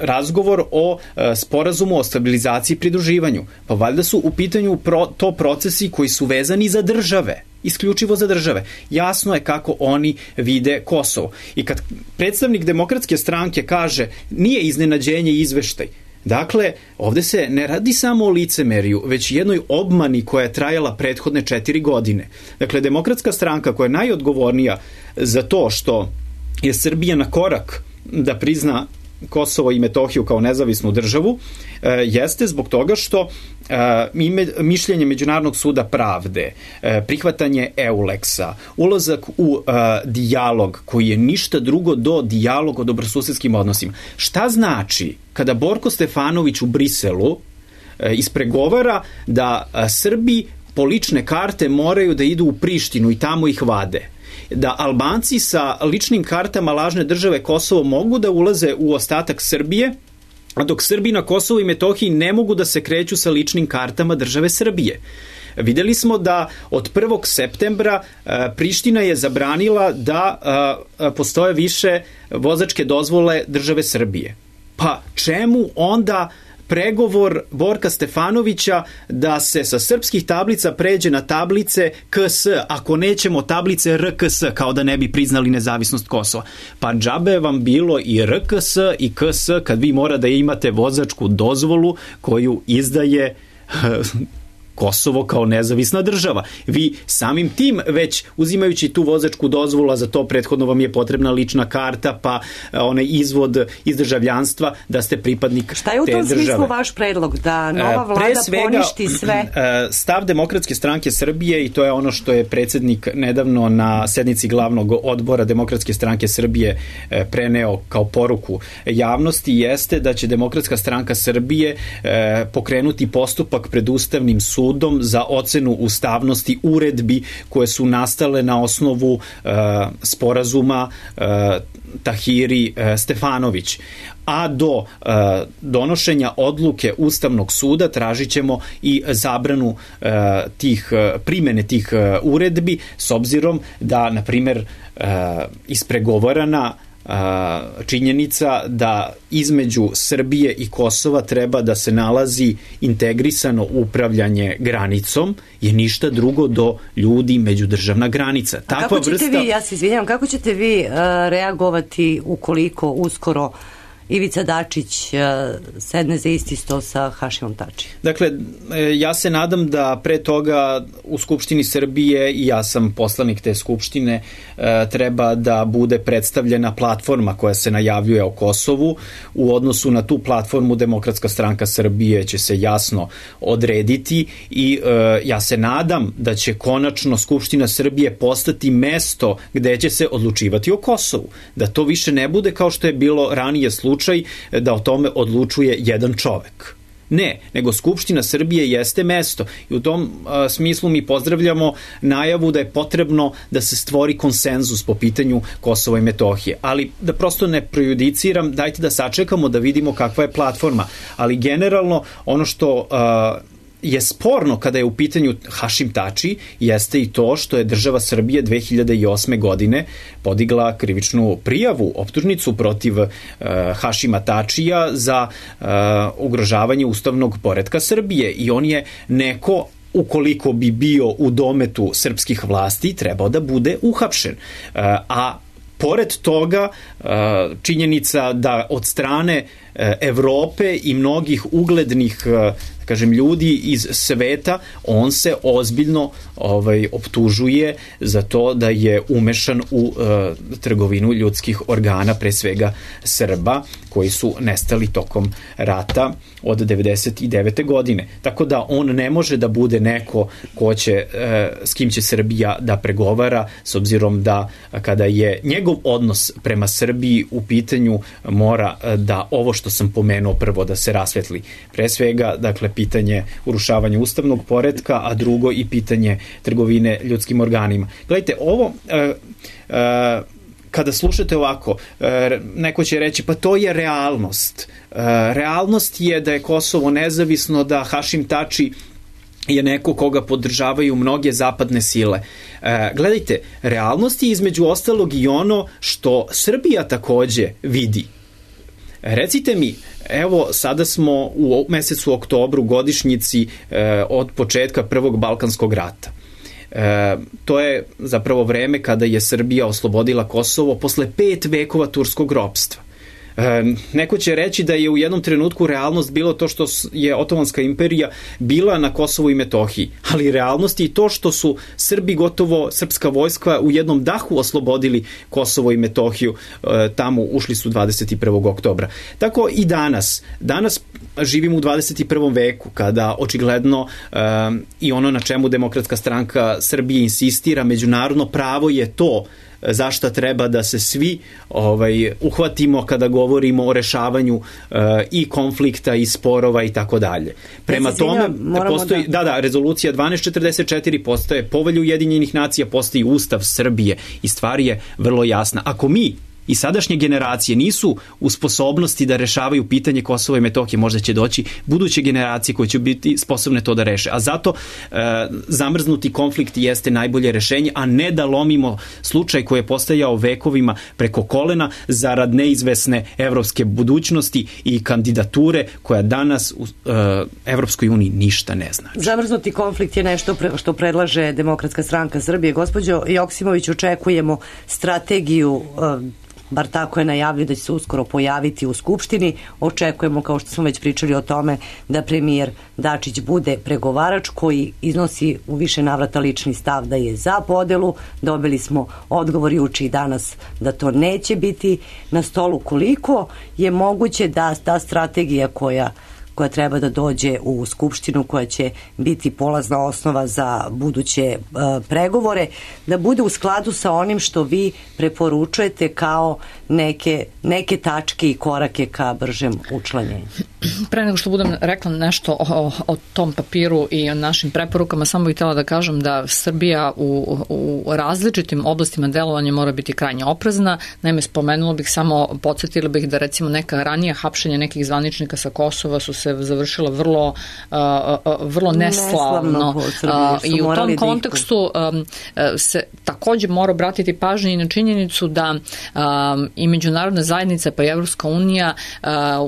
razgovor o sporazumu o stabilizaciji i pridruživanju. Pa valjda su u pitanju to procesi koji su vezani za države, isključivo za države. Jasno je kako oni vide Kosovo. I kad predstavnik Demokratske stranke kaže nije iznenađenje izveštaj, dakle, ovde se ne radi samo o licemeriju, već jednoj obmani koja je trajala prethodne 4 godine. Dakle, Demokratska stranka koja je najodgovornija za to što je Srbija na korak da prizna Kosovo i Metohiju kao nezavisnu državu, jeste zbog toga što mišljenje Međunarodnog suda pravde, prihvatanje EULEX-a, ulazak u dijalog koji je ništa drugo do dijalog o dobrosusedskim odnosima. Šta znači kada Borko Stefanović u Briselu ispregovara da Srbi po lične karte moraju da idu u Prištinu i tamo ih vade? Da Albanci sa ličnim kartama lažne države Kosovo mogu da ulaze u ostatak Srbije, a dok Srbi na Kosovu i Metohiji ne mogu da se kreću sa ličnim kartama države Srbije. Videli smo da od 1. septembra Priština je zabranila da postoje više vozačke dozvole države Srbije. Pa čemu onda pregovor Borka Stefanovića da se sa srpskih tablica pređe na tablice KS, ako nećemo tablice RKS, kao da ne bi priznali nezavisnost Kosova? Pa džabe vam bilo i RKS i KS kad vi mora da imate vozačku dozvolu koju izdaje Kosovo kao nezavisna država. Vi samim tim već uzimajući tu vozačku dozvolu, a za to prethodno vam je potrebna lična karta, pa onaj izvod iz državljanstva da ste pripadnik te države. Šta je u tom smislu vaš predlog? Da nova vlada poništi sve? Stav Demokratske stranke Srbije, i to je ono što je predsjednik nedavno na sednici glavnog odbora Demokratske stranke Srbije preneo kao poruku javnosti, jeste da će Demokratska stranka Srbije pokrenuti postupak pred Ustavnim sudom za ocenu ustavnosti uredbi koje su nastale na osnovu sporazuma Tahiri Stefanović. A do donošenja odluke Ustavnog suda tražit ćemo i zabranu primjene tih uredbi, s obzirom da, na primjer, ispregovarana činjenica da između Srbije i Kosova treba da se nalazi integrisano upravljanje granicom je ništa drugo do ljudi međudržavna granica. Kako ćete vi, ja se izvinjam, kako ćete vi reagovati ukoliko uskoro Ivica Dačić sedne za isti sto sa Hašimom Tačijem? Dakle, ja se nadam da pre toga u Skupštini Srbije, i ja sam poslanik te Skupštine, treba da bude predstavljena platforma koja se najavljuje o Kosovu. U odnosu na tu platformu Demokratska stranka Srbije će se jasno odrediti i ja se nadam da će konačno Skupština Srbije postati mesto gde će se odlučivati o Kosovu. Da to više ne bude kao što je bilo ranije slučaj, da o tome odlučuje jedan čovek. Ne, nego Skupština Srbije jeste mesto i u tom smislu mi pozdravljamo najavu da je potrebno da se stvori konsenzus po pitanju Kosova i Metohije. Ali da prosto ne prejudiciram, dajte da sačekamo da vidimo kakva je platforma. Ali generalno ono što je sporno kada je u pitanju Hašim Tači jeste i to što je država Srbije 2008. godine podigla krivičnu prijavu, optužnicu protiv Hašima Tačija za ugrožavanje ustavnog poretka Srbije i on je neko, ukoliko bi bio u dometu srpskih vlasti, trebao da bude uhapšen. A pored toga, činjenica da od strane Evrope i mnogih uglednih ljudi iz sveta, on se ozbiljno optužuje za to da je umešan u trgovinu ljudskih organa, pre svega Srba, koji su nestali tokom rata od 99. godine. Tako da on ne može da bude neko s kim će Srbija da pregovara, s obzirom da kada je njegov odnos prema Srbiji u pitanju, mora da ovo što sam pomenuo prvo da se rasvetli. Pre svega, dakle, pitanje urušavanja ustavnog poretka, a drugo i pitanje trgovine ljudskim organima. Gledajte, ovo kada slušate ovako, neko će reći pa to je realnost. Realnost je da je Kosovo nezavisno, da Hašim Tači je neko koga podržavaju mnoge zapadne sile. Gledajte, realnost je između ostalog i ono što Srbija takođe vidi. Recite mi, evo sada smo u mesecu oktobru, godišnjici od početka Prvog Balkanskog rata. To je zapravo vreme kada je Srbija oslobodila Kosovo posle 5 vekova turskog ropstva. Neko će reći da je u jednom trenutku realnost bilo to što je Otomanska imperija bila na Kosovu i Metohiji, ali realnost je i to što su Srbi, gotovo srpska vojska, u jednom dahu oslobodili Kosovo i Metohiju, tamo ušli su 21. oktobra. Tako i danas živimo u 21. veku, kada očigledno i ono na čemu Demokratska stranka Srbije insistira, međunarodno pravo je to zašta treba da se svi uhvatimo kada govorimo o rešavanju i konflikta i sporova i tako dalje. Prema tome postoji rezolucija 1244, postoje Povelja Ujedinjenih nacija, postoji Ustav Srbije i stvar je vrlo jasna. Ako mi i sadašnje generacije nisu u sposobnosti da rešavaju pitanje Kosova i Metohije, možda će doći buduće generacije koje će biti sposobne to da reše. A zato zamrznuti konflikt jeste najbolje rešenje, a ne da lomimo slučaj koji je postajao vekovima preko kolena zarad neizvesne evropske budućnosti i kandidature koja danas u Evropskoj uniji ništa ne znači. Zamrznuti konflikt je nešto što predlaže Demokratska stranka Srbije. Gospođo Joksimović, očekujemo strategiju bar tako je najavio da će se uskoro pojaviti u Skupštini. Očekujemo, kao što smo već pričali o tome, da premijer Dačić bude pregovarač koji iznosi u više navrata lični stav da je za podelu. Dobili smo odgovor juče i danas da to neće biti na stolu. Koliko je moguće da ta strategija koja treba da dođe u Skupštinu, koja će biti polazna osnova za buduće pregovore, da bude u skladu sa onim što vi preporučujete kao neke tačke i korake ka bržem učlanjenju? Pre nego što budem rekla nešto o tom papiru i o našim preporukama, samo bih htjela da kažem da Srbija u različitim oblastima delovanja mora biti krajnje oprezna. Naime, spomenula bih, samo podsjetila bih da recimo neka ranija hapšenja nekih zvaničnika sa Kosova su se završila vrlo neslavno i u tom kontekstu se takođe mora obratiti pažnje i na činjenicu da i međunarodna zajednica pa i Evropska unija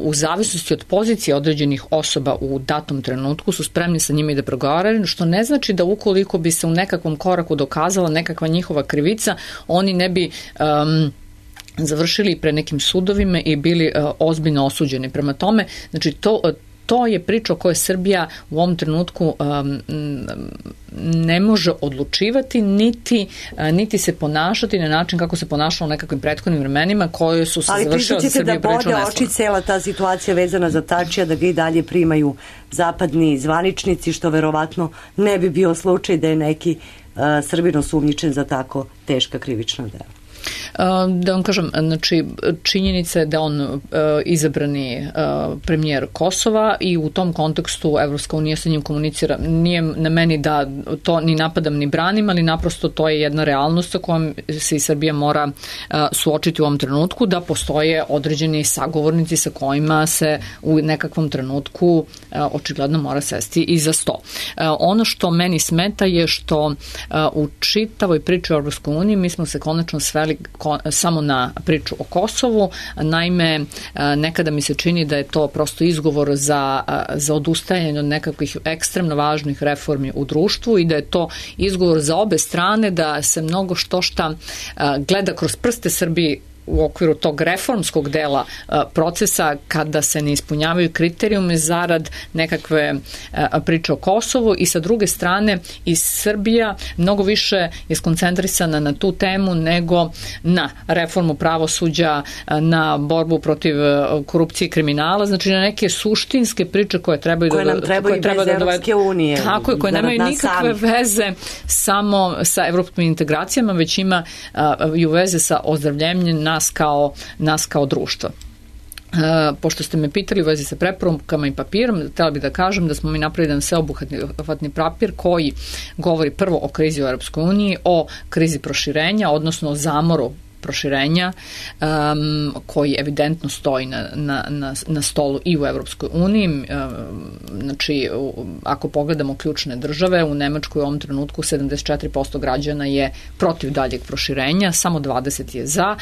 u zavisnosti od pozicije određenih osoba u datom trenutku su spremni sa njima i da pregovaraju, što ne znači da ukoliko bi se u nekakvom koraku dokazala nekakva njihova krivica, oni ne bi završili pred nekim sudovima i bili ozbiljno osuđeni. Prema tome, znači to je priča o kojoj Srbija u ovom trenutku ne može odlučivati, niti se ponašati na način kako se ponašalo u nekakvim prethodnim vremenima koje su se završile za Srbiju prilično neslavno. Ali priznaćete da bode oči cela ta situacija vezana za Tačija, da ga i dalje primaju zapadni zvaničnici, što verovatno ne bi bio slučaj da je neki Srbin osumnjičen za tako teška krivična dela. Da vam kažem, znači činjenica je da on izabrani premijer Kosova i u tom kontekstu Evropska unija sa njim komunicira. Nije na meni da to ni napadam ni branim, ali naprosto to je jedna realnost sa kojom se i Srbija mora suočiti u ovom trenutku, da postoje određeni sagovornici sa kojima se u nekakvom trenutku očigledno mora sesti i za sto. Ono što meni smeta je što u čitavoj priči o Evropskoj uniji mi smo se konačno sveli samo na priču o Kosovu. Naime, nekada mi se čini da je to prosto izgovor za odustajanje od nekakvih ekstremno važnih reformi u društvu i da je to izgovor za obe strane da se mnogo šta gleda kroz prste Srbiji u okviru tog reformskog dela procesa kada se ne ispunjavaju kriterijume zarad nekakve priče o Kosovu i sa druge strane i Srbija mnogo više je skoncentrisana na tu temu nego na reformu pravosuđa, na borbu protiv korupcije i kriminala, znači na neke suštinske priče koje trebaju da Evropske unije. Tako je, koje nemaju nikakve veze samo sa evropskim integracijama, već imaju veze sa ozdravljenjem nas kao društva. Pošto ste me pitali u vezi sa preporukama i papirom, htjela bih da kažem da smo mi napravili jedan sveobuhvatni papir koji govori prvo o krizi u Europskoj uniji, o krizi proširenja, odnosno o zamoru proširenja koji evidentno stoji na stolu i u Evropskoj uniji. Znači, ako pogledamo ključne države, u Nemačkoj u ovom trenutku 74% građana je protiv daljeg proširenja, samo 20% je za.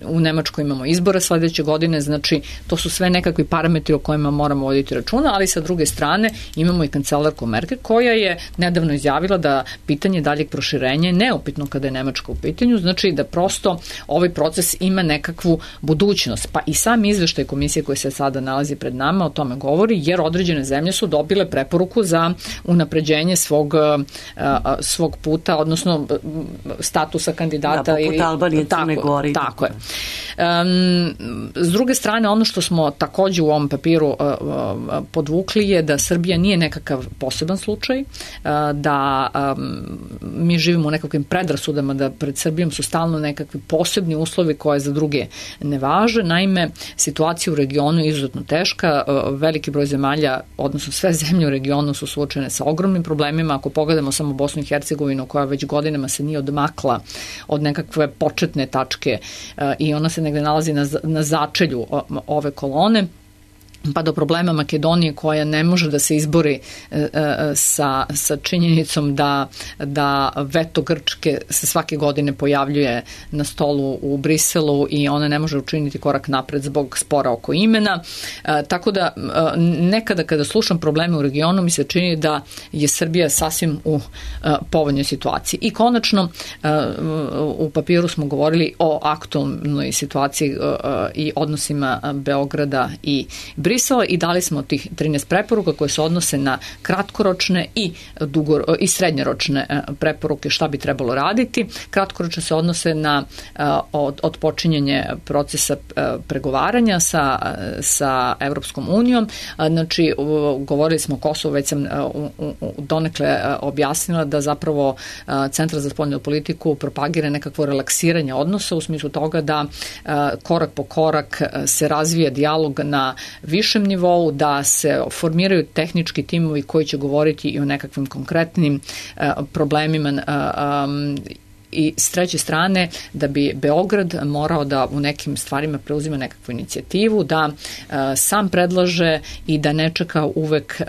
U Nemačkoj imamo izbore sledeće godine, znači to su sve nekakvi parametri o kojima moramo voditi računa, ali sa druge strane imamo i kancelarku Merkel koja je nedavno izjavila da pitanje daljeg proširenja je neupitno kada je Nemačka u pitanju, znači da prosto ovaj proces ima nekakvu budućnost. Pa i sam izveštaj komisije koji se sada nalazi pred nama o tome govori, jer određene zemlje su dobile preporuku za unapređenje svog puta, odnosno statusa kandidata. Poput Albanije, Crne Gore. Tako je. S druge strane, ono što smo takođe u ovom papiru podvukli je da Srbija nije nekakav poseban slučaj, da mi živimo u nekakvim predrasudama, da pred Srbijom su stalno nekakvi posebni uslovi koje za druge ne važe. Naime, situacija u regionu je izuzetno teška. Veliki broj zemalja, odnosno sve zemlje u regionu su suočene sa ogromnim problemima. Ako pogledamo samo Bosnu i Hercegovinu, koja već godinama se nije odmakla od nekakve početne tačke i ona se negde nalazi na začelju ove kolone, pa do problema Makedonije koja ne može da se izbori sa činjenicom da veto Grčke se svake godine pojavljuje na stolu u Briselu i ona ne može učiniti korak napred zbog spora oko imena. Tako da nekada kada slušam probleme u regionu mi se čini da je Srbija sasvim u povoljnoj situaciji. I konačno u papiru smo govorili o aktualnoj situaciji i odnosima Beograda i Brisela i dali smo tih 13 preporuka koje se odnose na kratkoročne i srednjoročne preporuke šta bi trebalo raditi. Kratkoročne se odnose na odpočinjanje procesa pregovaranja sa Evropskom unijom. Znači, govorili smo o Kosovu, već sam donekle objasnila da zapravo Centar za spoljnu politiku propagira nekakvo relaksiranje odnosa u smislu toga da korak po korak se razvija dijalog na višem nivou, da se formiraju tehnički timovi koji će govoriti i o nekakvim konkretnim problemima i s treće strane da bi Beograd morao da u nekim stvarima preuzima nekakvu inicijativu, da sam predlaže i da ne čeka uvek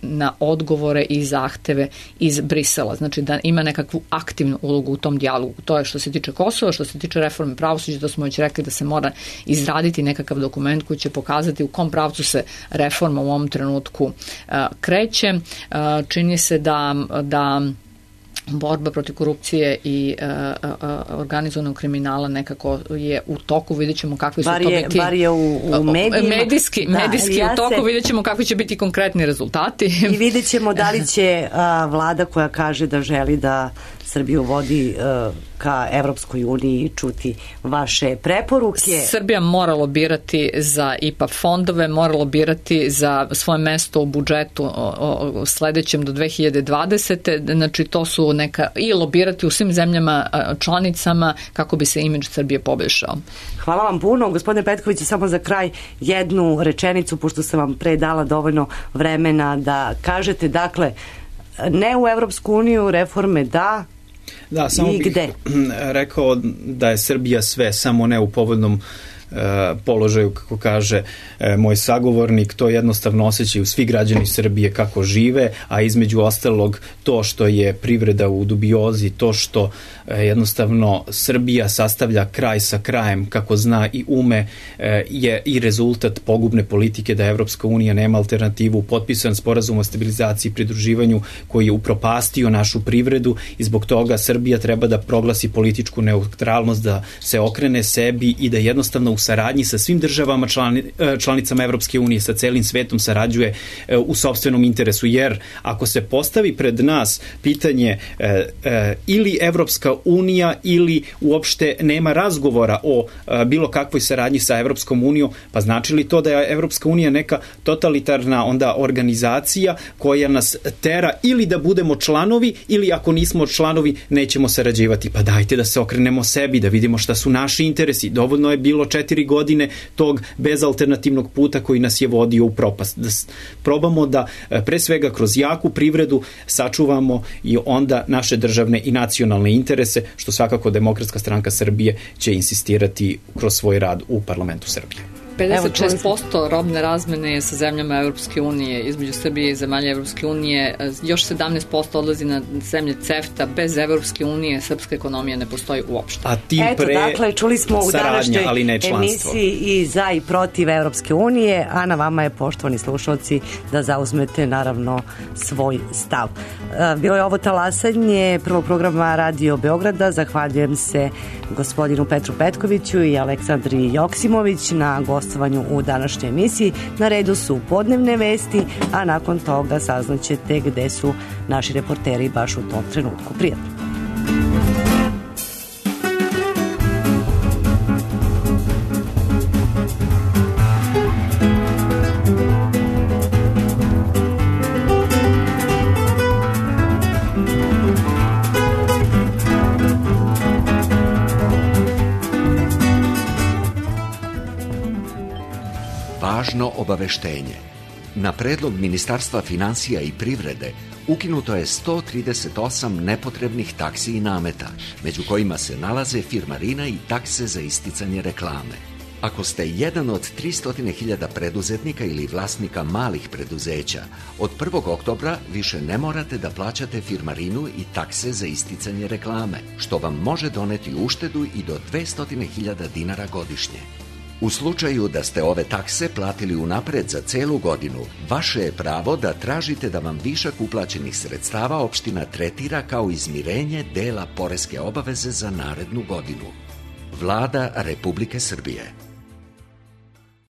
na odgovore i zahteve iz Brisela. Znači da ima nekakvu aktivnu ulogu u tom dijalogu. To je što se tiče Kosova, što se tiče reforme pravosuđa, da smo već rekli da se mora izraditi nekakav dokument koji će pokazati u kom pravcu se reforma u ovom trenutku kreće. Čini se da borba protiv korupcije i organizovanog kriminala nekako je u toku, vidjet ćemo kakvi su to biti. Bar je u medijima. Medijski u toku, vidjet ćemo kakvi će biti konkretni rezultati. I vidjet ćemo da li će vlada koja kaže da želi da Srbiju vodi ka Evropskoj uniji čuti vaše preporuke. Srbija mora lobirati za IPA fondove, mora lobirati za svoje mesto u budžetu sledećem do 2020. Znači to su i lobirati u svim zemljama članicama kako bi se imidž Srbije poboljšao. Hvala vam puno. Gospodine Petković, samo za kraj jednu rečenicu, pošto sam vam pre dala dovoljno vremena da kažete, dakle, ne u Evropsku uniju, reforme da, samo bih rekao da je Srbija sve, samo ne u povoljnom položaju, kako kaže moj sagovornik. To jednostavno osjećaju svi građani Srbije kako žive, a između ostalog to što je privreda u dubiozi, to što jednostavno Srbija sastavlja kraj sa krajem kako zna i ume, je i rezultat pogubne politike da Evropska unija nema alternativu. Potpisan sporazum o stabilizaciji i pridruživanju koji je upropastio našu privredu i zbog toga Srbija treba da proglasi političku neutralnost, da se okrene sebi i da jednostavno u saradnji sa svim državama članicama Evropske unije, sa celim svetom sarađuje u sopstvenom interesu, jer ako se postavi pred nas pitanje ili Evropska unija ili uopšte nema razgovora o bilo kakvoj saradnji sa Evropskom unijom, pa znači li to da je Evropska unija neka totalitarna onda organizacija koja nas tera ili da budemo članovi ili ako nismo članovi nećemo sarađivati? Pa dajte da se okrenemo sebi, da vidimo šta su naši interesi. Dovoljno je bilo 4 godine tog bezalternativnog puta koji nas je vodio u propast. Da probamo da pre svega kroz jaku privredu sačuvamo i onda naše državne i nacionalne interese, što svakako Demokratska stranka Srbije će insistirati kroz svoj rad u parlamentu Srbije. 56% robne razmene je sa zemljama Evropske unije, između Srbije i zemalja Evropske unije, još 17% odlazi na zemlje CEFTA. Bez Evropske unije srpska ekonomija ne postoji uopšte. A tim pre dakle, čuli smo u današnjoj emisiji i za i protiv Evropske unije, a na vama je, poštovani slušalci, da zauzmete naravno svoj stav. Bilo je ovo talasanje prvog programa Radio Beograda. Zahvaljujem se gospodinu Petru Petkoviću i Aleksandri Joksimović na gostovanju u današnjoj emisiji. Na redu su podnevne vesti, a nakon toga saznaćete gde su naši reporteri baš u tom trenutku. Prijatno. Važno obaveštenje. Na predlog Ministarstva finansija i privrede ukinuto je 138 nepotrebnih taksi i nameta, među kojima se nalaze firmarina i takse za isticanje reklame. Ako ste jedan od 300.000 preduzetnika ili vlasnika malih preduzeća, od 1. oktobra više ne morate da plaćate firmarinu i takse za isticanje reklame, što vam može doneti uštedu i do 200.000 dinara godišnje. U slučaju da ste ove takse platili unapred za celu godinu, vaše je pravo da tražite da vam višak uplaćenih sredstava opština tretira kao izmirenje dela poreske obaveze za narednu godinu. Vlada Republike Srbije.